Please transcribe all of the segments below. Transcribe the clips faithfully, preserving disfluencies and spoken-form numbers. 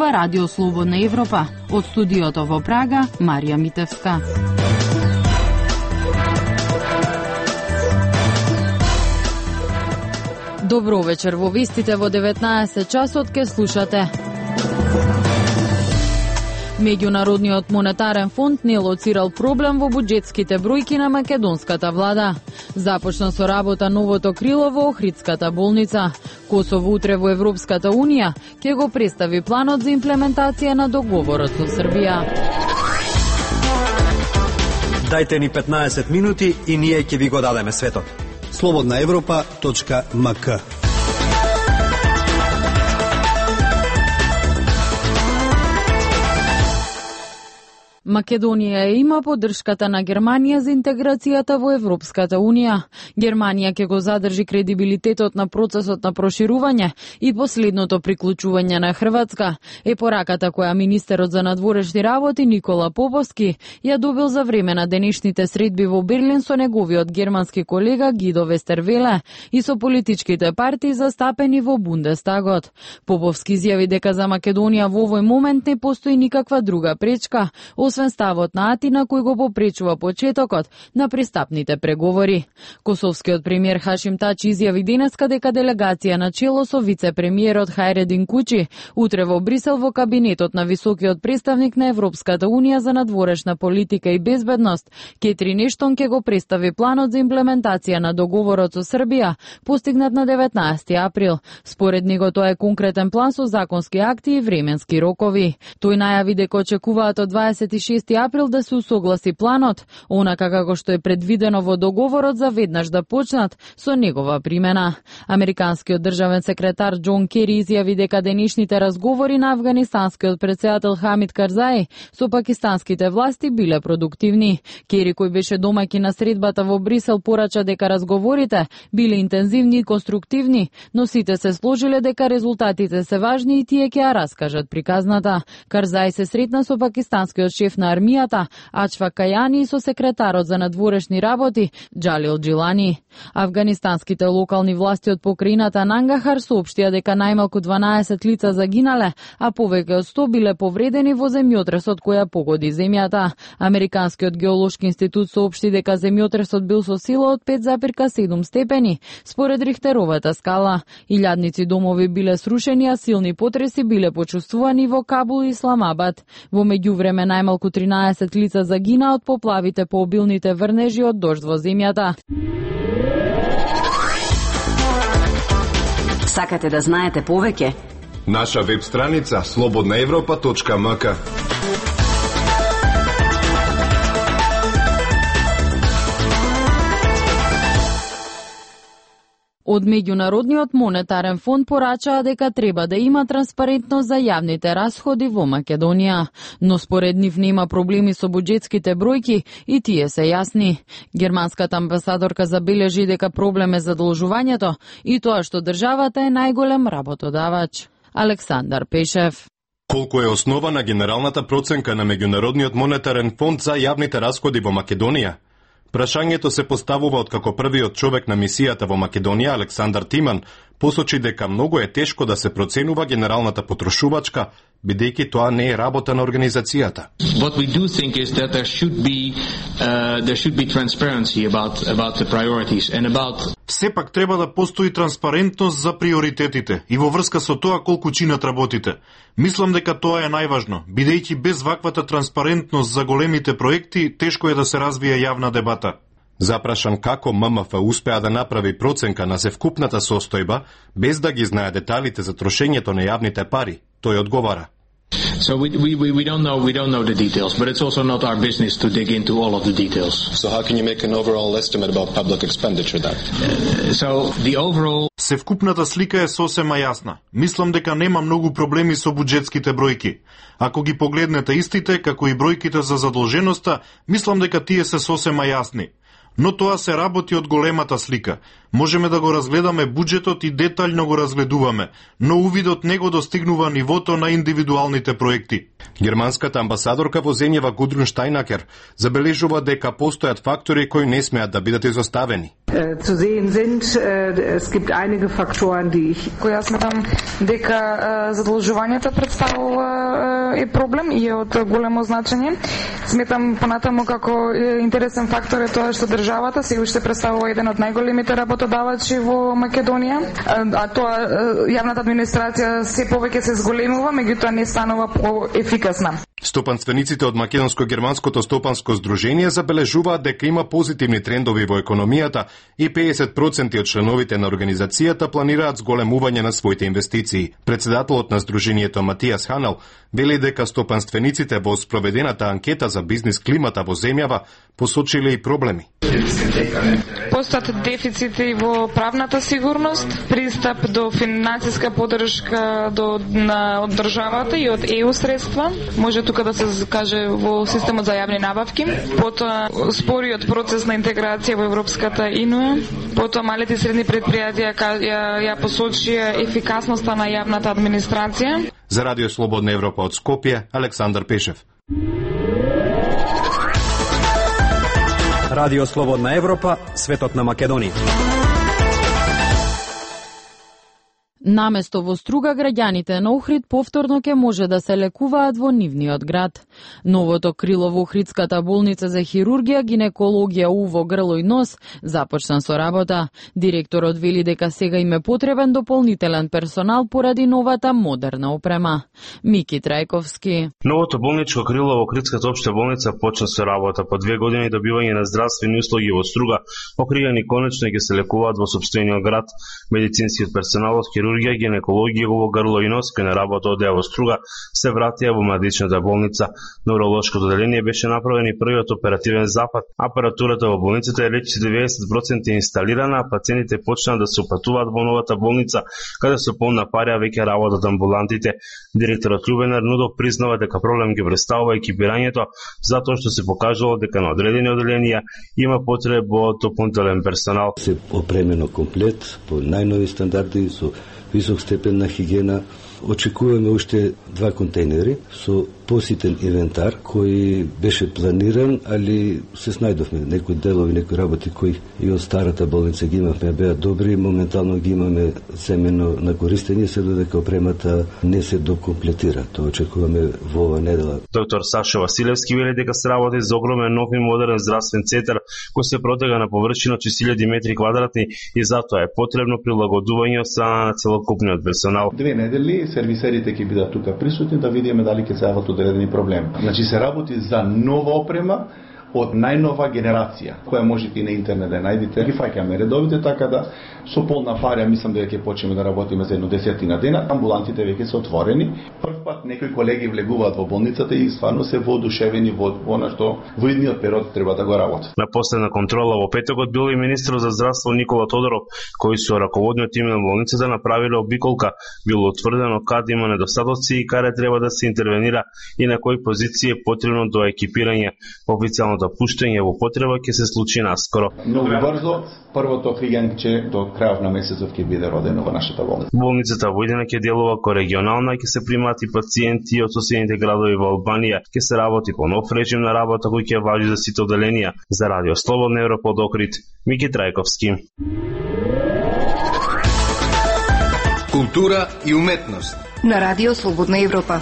Ова Радио Слободна Европа. Од студиото во Прага, Марија Митевска. Добро вечер, во вестите во деветнаесет часот ке слушате. Меѓународниот монетарен фонд не лоцирал проблем во буџетските бројки на македонската влада. Започна со работа новото крило во Охридската болница. Косово утре во Европската унија ќе го представи планот за имплементација на договорот со Србија. Дајте ни петнаесет минути и ние ќе ви го дадеме светот. слободна европа точка ем ка. Македонија има поддршката на Германија за интеграцијата во Европската унија. Германија ќе го задржи кредибилитетот на процесот на проширување и последното приклучување на Хрватска, е пораката која министерот за надворешни работи Никола Поповски ја добил за време на денешните средби во Берлин со неговиот германски колега Гидо Вестервеле и со политичките партии застапени во Бундестагот. Поповски изјави дека за Македонија во овој момент не постои никаква друга пречка, освен ставот на Атина кој го попречува почетокот на пристапните преговори. Косовскиот премиер Хашим Тачи изјави денеска дека делегација на чело со вице-премиерот Хајредин Кучи утре во Брисел во кабинетот на високиот представник на Европската унија за надворешна политика и безбедност Кетрин Ештон ќе го представи планот за имплементација на договорот со Србија постигнат на деветнаесети април. Според него тоа е конкретен план со законски акти и временски рокови. Тој најави дека очекуваат од дваесет и шести април да се усогласи планот, онака како што е предвидено во договорот за веднаш да почнат со негова примена. Американскиот државен секретар Џон Кери изјави дека денешните разговори на афганистанскиот претседател Хамид Карзаи со пакистанските власти биле продуктивни. Кери, кој беше домаќин на средбата во Брисел, порача дека разговорите биле интензивни и конструктивни, но сите се сложиле дека резултатите се важни и тие ќе ја раскажат приказната. Карзаи се сретна со пакистанскиот шеф на армијата Ачфак Кајани и со секретарот за надворешни работи Џалил Джилани. Афганистанските локални власти од покрајината Нангахар соопштија дека најмалку дванаесет лица загинале, а повеќе од сто биле повредени во земјотресот која погоди земјата. Американскиот геолошки институт соопшти дека земјотресот бил со сила од пет зарез и седум степени според Рихтеровата скала. Илјадници домови биле срушени, а силни потреси биле почувствувани во Кабул и Исламабад. Во меѓувреме најмалку тринаесет лица загина од поплавите по обилните врнежи од дожд во земјата. Сакате да знаете повеќе? Наша веб страница слободна европа точка ем ка. Од Меѓународниот монетарен фонд порачаа дека треба да има транспарентност за јавните расходи во Македонија, но според нив нема проблеми со буџетските бројки и тие се јасни. Германската амбасадорка забележи дека проблем е задолжувањето и тоа што државата е најголем работодавач. Александар Пешев. Колку е основана генералната проценка на Меѓународниот монетарен фонд за јавните расходи во Македонија? Прашањето се поставува откако првиот човек на мисијата во Македонија, Александар Тиман, посочи дека многу е тешко да се проценува генералната потрошувачка, бидејќи тоа не е работа на организацијата. What we do think is that there should be uh, there should be transparency about about the priorities and about Сепак треба да постои транспарентност за приоритетите и во врска со тоа колку чинат работите. Мислам дека тоа е најважно, бидејќи без ваквата транспарентност за големите проекти тешко е да се развие јавна дебата. Запрашан како М М Ф успеа да направи проценка на севкупната состојба без да ги знае деталите за трошењето на јавните пари, тој одговара. So we, we, we don't know we don't know the details, but it's also not our business to dig into all of the details. So how can you make an overall estimate about public expenditure then? Uh, so the overall Севкупната слика е сосема јасна. Мислам дека нема многу проблеми со буџетските бројки. Ако ги погледнете истите, како и бројките за задолженоста, мислам дека тие се сосема јасни. Но тоа се работи од големата слика. Можеме да го разгледаме буџетот и детаљно го разгледуваме, но увидот не го достигнува нивото на индивидуалните проекти. Германската амбасадорка во земјава Гудрун Штајнакер забележува дека постојат фактори кои не смеат да бидат изоставени. Zu sehen sind, es gibt einige Faktoren, die ich... Која сметам дека задолжувањето представува е проблем и е од големо значење. Сметам понатаму како интересен фактор е тоа што државата се уште представува еден од најголемите работодавачи во Македонија, а тоа јавната администрација се повеќе се зголемува, меѓутоа не станува поефикасна. Стопанствениците од Македонско-германското стопанско здружение забележуваат дека има позитивни трендови во економијата и педесет проценти од членовите на организацијата планираат зголемување на своите инвестиции. Председателот на здружението Матијас Ханал вели дека стопанствениците во спроведената анкета за бизнис климата во земјава посочиле и проблеми. Постојат дефицити во правната сигурност, пристап до финансиска поддршка до на од државата и од ЕУ средства, може тука да се каже во системот за јавни набавки, потоа спориот процес на интеграција во Европската Инуја, потоа малите и средни предпријатија ја, ја посочија ефикасноста на јавната администрација. За Радио Слободна Европа од Скопје, Александар Пешев. Радио Слободна Европа, светот на Македонија. Наместо во Струга, граѓаните на Охрид повторно ќе може да се лекуваат во нивниот град. Новото крило во Охридската болница за хирургија, гинекологија, уво, грло и нос започна со работа. Директорот вели дека сега им е потребен дополнителен персонал поради новата модерна опрема. Мики Трајковски. Новото болничко крило во Охридската општа болница почна со работа. По две години добивање на здравствени услуги во Струга, охриѓани конечно ќе се лекуваат во сопствениот град. Медицинскиот персонал од хирургија, гинекологија, уво, грло и нос кој на работа од во Струга се вратија во младичната болница. На уролошкото оделение беше направен и првиот оперативен запад. Апаратурата во болницата е веќе деветдесет проценти инсталирана, а пациентите почнаа да се упатуваат во новата болница, каде со полна парја веќе работат амбулантите. Директорот Љубен Арнудов признава дека проблем ги представува екипирањето, затоа што се покажало дека на одредени оделенија има потреба од дополнителен персонал. Се опремено комплет по најнови стандарди со висок степен на хигиена. Очекуваме уште два контейнери со поситен инвентар кој беше планиран, али се снајдовме некои делови, некои работи кои и од старата болница ги имавме, беа добри, моментално ги имаме земено на користење, се додека опремата не се докомплетира. Тоа очекуваме во ова недела. Доктор Сашо Василевски вели дека се работи за огромен нов и модерен здравствен центар кој се протега на површина од шест илјади метри квадратни и затоа е потребно прилагодување од страна на целокупниот персонал. Две недели сервисерите ќе бидат тука присутни да видиме дали ќе се јават одредени проблеми. Значи се работи за нова опрема од најнова генерација, која можете и на интернет да најдете. Ги фаќаме редовите, така да со полна парја мислам дека ќе почнеме да работиме за едно десетина дена. Амбулантите веќе се отворени. Прв пат некои колеги влегуваат во болницата и стварно се воодушевени во она што во идниот период треба да го работат. На последна контрола во петокот бил и министрот за здравство Никола Тодоров, кој со раководниот тим на болницата направиле обиколка. Било утврдено каде има недостатоци и каде треба да се интервенира и на кои позиции е потребно до екипирање. Официјалното пуштање во потреба ќе се случи наскоро. Многу брзо, првото хригенче до крајот на месецот ќе биде родено во нашата болница. Болницата во Видина ќе делува ко регионална, ќе се примаат и пациенти од соседните градови во Албанија, ќе се работи по нов режим на работа кој ќе важи за сите оделенија. За Радио Слободна Европа од Охрид, Мики Трајковски. Култура и уметност на Радио Слободна Европа.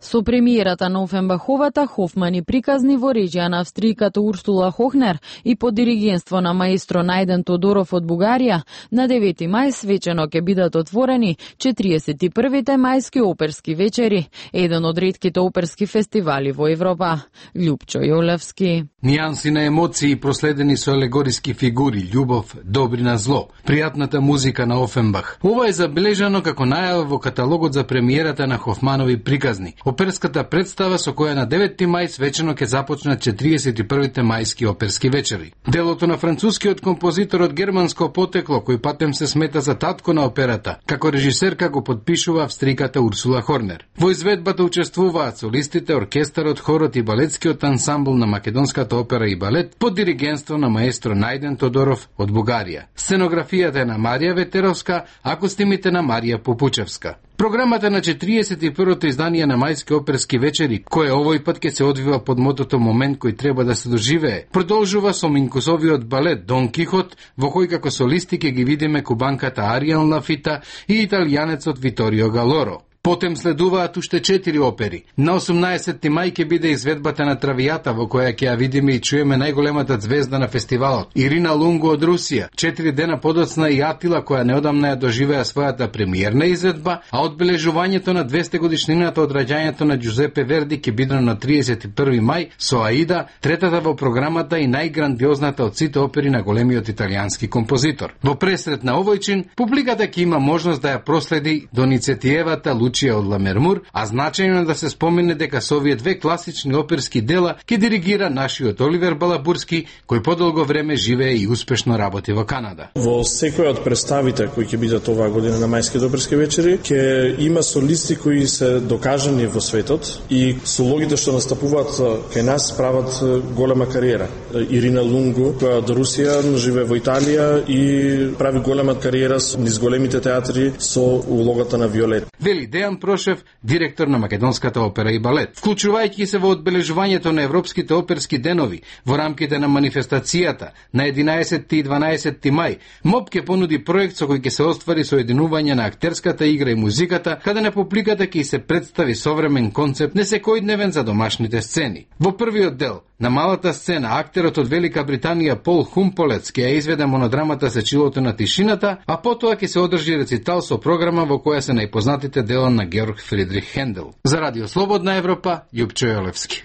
Со премиерата на Офенбаховата, Хофман и приказни во режија на австријката Урсула Хохнер и под диригенство на маестро Најден Тодоров од Бугарија, на девети мај свечено ќе бидат отворени четириесет и првите мајски оперски вечери, еден од ретките оперски фестивали во Европа. Љупчо Јолевски. Нијанси на емоции проследени со алегориски фигури, љубов, добрина, зло, пријатната музика на Офенбах. Ова е забележано како најава во каталогот за премиерата на Хофманови приказни. Оперската представа со која на девети мај свечено ќе започнат четириесет и првите мајски оперски вечери. Делото на францускиот композитор од германско потекло, кој патем се смета за татко на операта, како режисерка го подпишува австријката Урсула Хорнер. Во изведбата учествуваат солистите, оркестарот, хорот и балетскиот ансамбл на Македонската опера и балет под диригенство на маестро Најден Тодоров од Бугарија. Сценографијата е на Марија Ветеровска, а костимите на Марија Попучевска. Програмата на четириесет и првото издание на мајски оперски вечери, кое овој пат ќе се одвива под мотото момент кој треба да се доживее, продолжува со Минкусовиот балет Дон Кихот, во кој како солисти ќе ги видиме кубанката Ариел Лафита и италијанецот Виторио Галоро. Потем следуваат уште четири опери. На осумнаесетти мај ќе биде изведбата на Травијата, во која ќе ја видиме и чуеме најголемата звезда на фестивалот, Ирина Лунго од Русија. Четири дена подоцна и Атила, која неодамна ја доживеа својата премиерна изведба, а одбележувањето на двесте годишнината од раѓањето на Џузепе Верди ќе биде на триесет и први мај со Аида, третата во програмата и најграндиозната од сите опери на големиот италијански композитор. Во пресрет на овој чин, публиката ќе има можност да ја проследи Доницетиевата Лучија од Ламермур, а значајно е да се спомене дека со овие две класични оперски дела ќе диригира нашиот Оливер Балабурски, кој подолго време живее и успешно работи во Канада. Во секој од представите кои ќе бидат оваа година на мајските оперски вечери, ќе има солисти кои се докажани во светот и сологите што настапуваат кај нас прават голема кариера. Ирина Лунго, која од Русија живее во Италија и прави голема кариера низ големите театри со улогата на Виолет. Вели Дејан Прошев, директор на Македонската опера и балет. Вклучувајќи се во одбележувањето на Европските оперски денови во рамките на манифестацијата на единаесетти и дванаесетти мај, МОП ќе понуди проект со кој ќе се оствари соединување на актерската игра и музиката, каде на публиката ќе се представи современ концепт несекојдневен за домашните сцени. Во првиот дел, на малата сцена, актерот од Велика Британија Пол Хумполец ќе ја изведе монодрамата Сечилото на тишината, а потоа ќе се одржи рецитал со програма во која се најпознатите дела на Георг Фридрих Хендел. За Радио Слободна Европа, Јупчо Јолевски.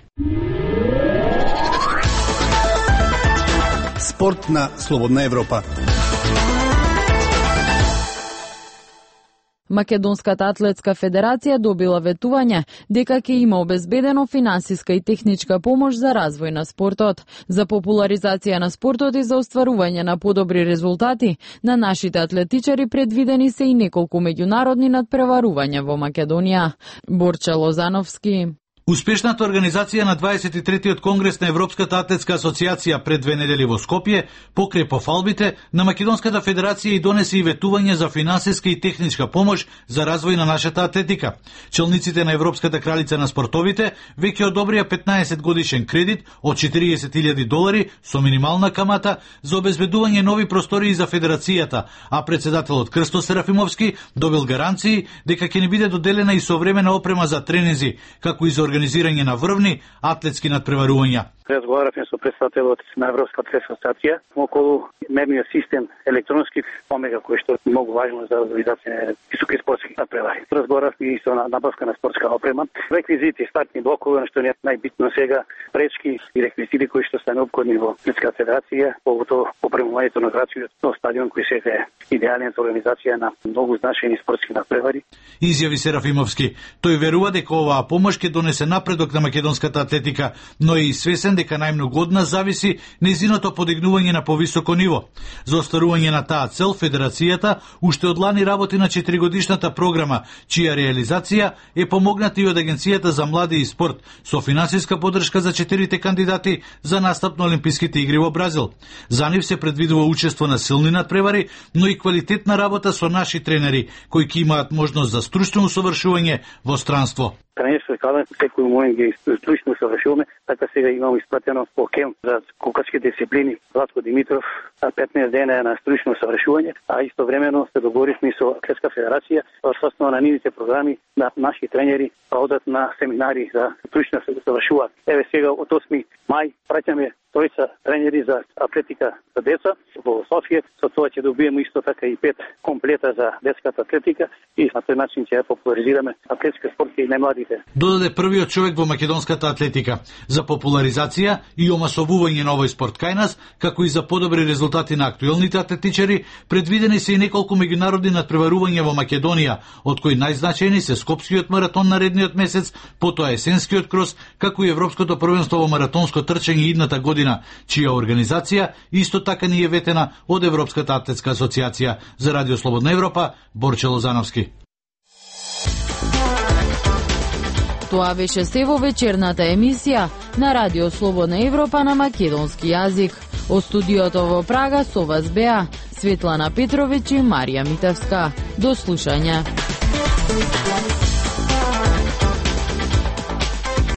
Спорт на Слободна Европа. Македонската атлетска федерација добила ветување дека ќе има обезбедено финансиска и техничка помош за развој на спортот, за популаризација на спортот и за остварување на подобри резултати. На нашите атлетичари предвидени се и неколку меѓународни надпреварувања во Македонија. Борче Лозановски. Успешната организација на дваесет и третиот конгрес на Европската атлетска асоциација пред две недели во Скопје покрај пофалбите на Македонската федерација и донесе и ветување за финансиска и техничка помош за развој на нашата атлетика. Челниците на Европската кралица на спортовите веќе одобрија петнаесет годишен кредит од четириесет илјади долари со минимална камата за обезбедување нови простории за федерацијата, а председателот Крсто Серафимовски добил гаранции дека ќе ни биде доделена и современа опрема за тренинзи, како и за организирање на врвни атлетски надпреварувања. Разговаравме со представителот на Европската атлетска асоциација околу мерниот систем електронски омега кој што е многу важно за организација на високи спортски надпревари. Разговаравме и со набавка на спортска опрема, реквизити, стартни блокови, што е најбитно сега, пречки и реквизити кои што се необходни во Атлетска федерација, поготово опремувањето на градскиот стадион кој сега е идеален за организација на многу значајни спортски надпревари. Изјави Серафимовски. Тој верува дека оваа помош ќе донесе напредок на македонската атлетика, но и свесен дека најмногу од нас зависи нејзиното подигнување на повисоко ниво. За остварување на таа цел, федерацијата уште од лани работи на четиригодишната програма, чија реализација е помогната и од Агенцијата за млади и спорт, со финансиска подршка за четирите кандидати за настап на Олимписките игри во Бразил. За нив се предвидува учество на силни надпревари, но и квалитетна работа со наши тренери, кои ќе имаат можност за стручно усовршување во странство. Тренерство каде секој момент ги стручно усовршуваме, така сега имamo испратено по кемп за скокачки дисциплини Владко Димитров, петнаесет дена на стручно усовршување, а истовремено се договоривме со Атлетска федерација во основа на нивните програми да наши тренери одат на семинари за стручно усовршување. Еве сега од осми мај праќаме тројца тренери за атлетика за деца во Софија, со тоа ќе добиеме исто така и пет комплета за детската атлетика и на тој начин ќе ја популаризираме атлетска спорт и најмладите. Додаде првиот човек во македонската атлетика. За популаризација и омасовување на овој спорт кај нас, како и за подобри резултати на актуелните атлетичари, предвидени се и неколку меѓународни надпреварувања во Македонија, од кои најзначајни се Скопскиот маратон наредниот месец, потоа есенскиот крос, како и Европското првенство во маратонско трчање идната година, чија организација исто така ни е ветена од Европската атлетска асоциација. За Радио Слободна Европа, Борче Лозановски. Тоа беше се во вечерната емисија на Радио Слободна Европа на македонски јазик. Од студиото во Прага со вас беа Светлана Петровиќ и Марија Митевска. До слушање.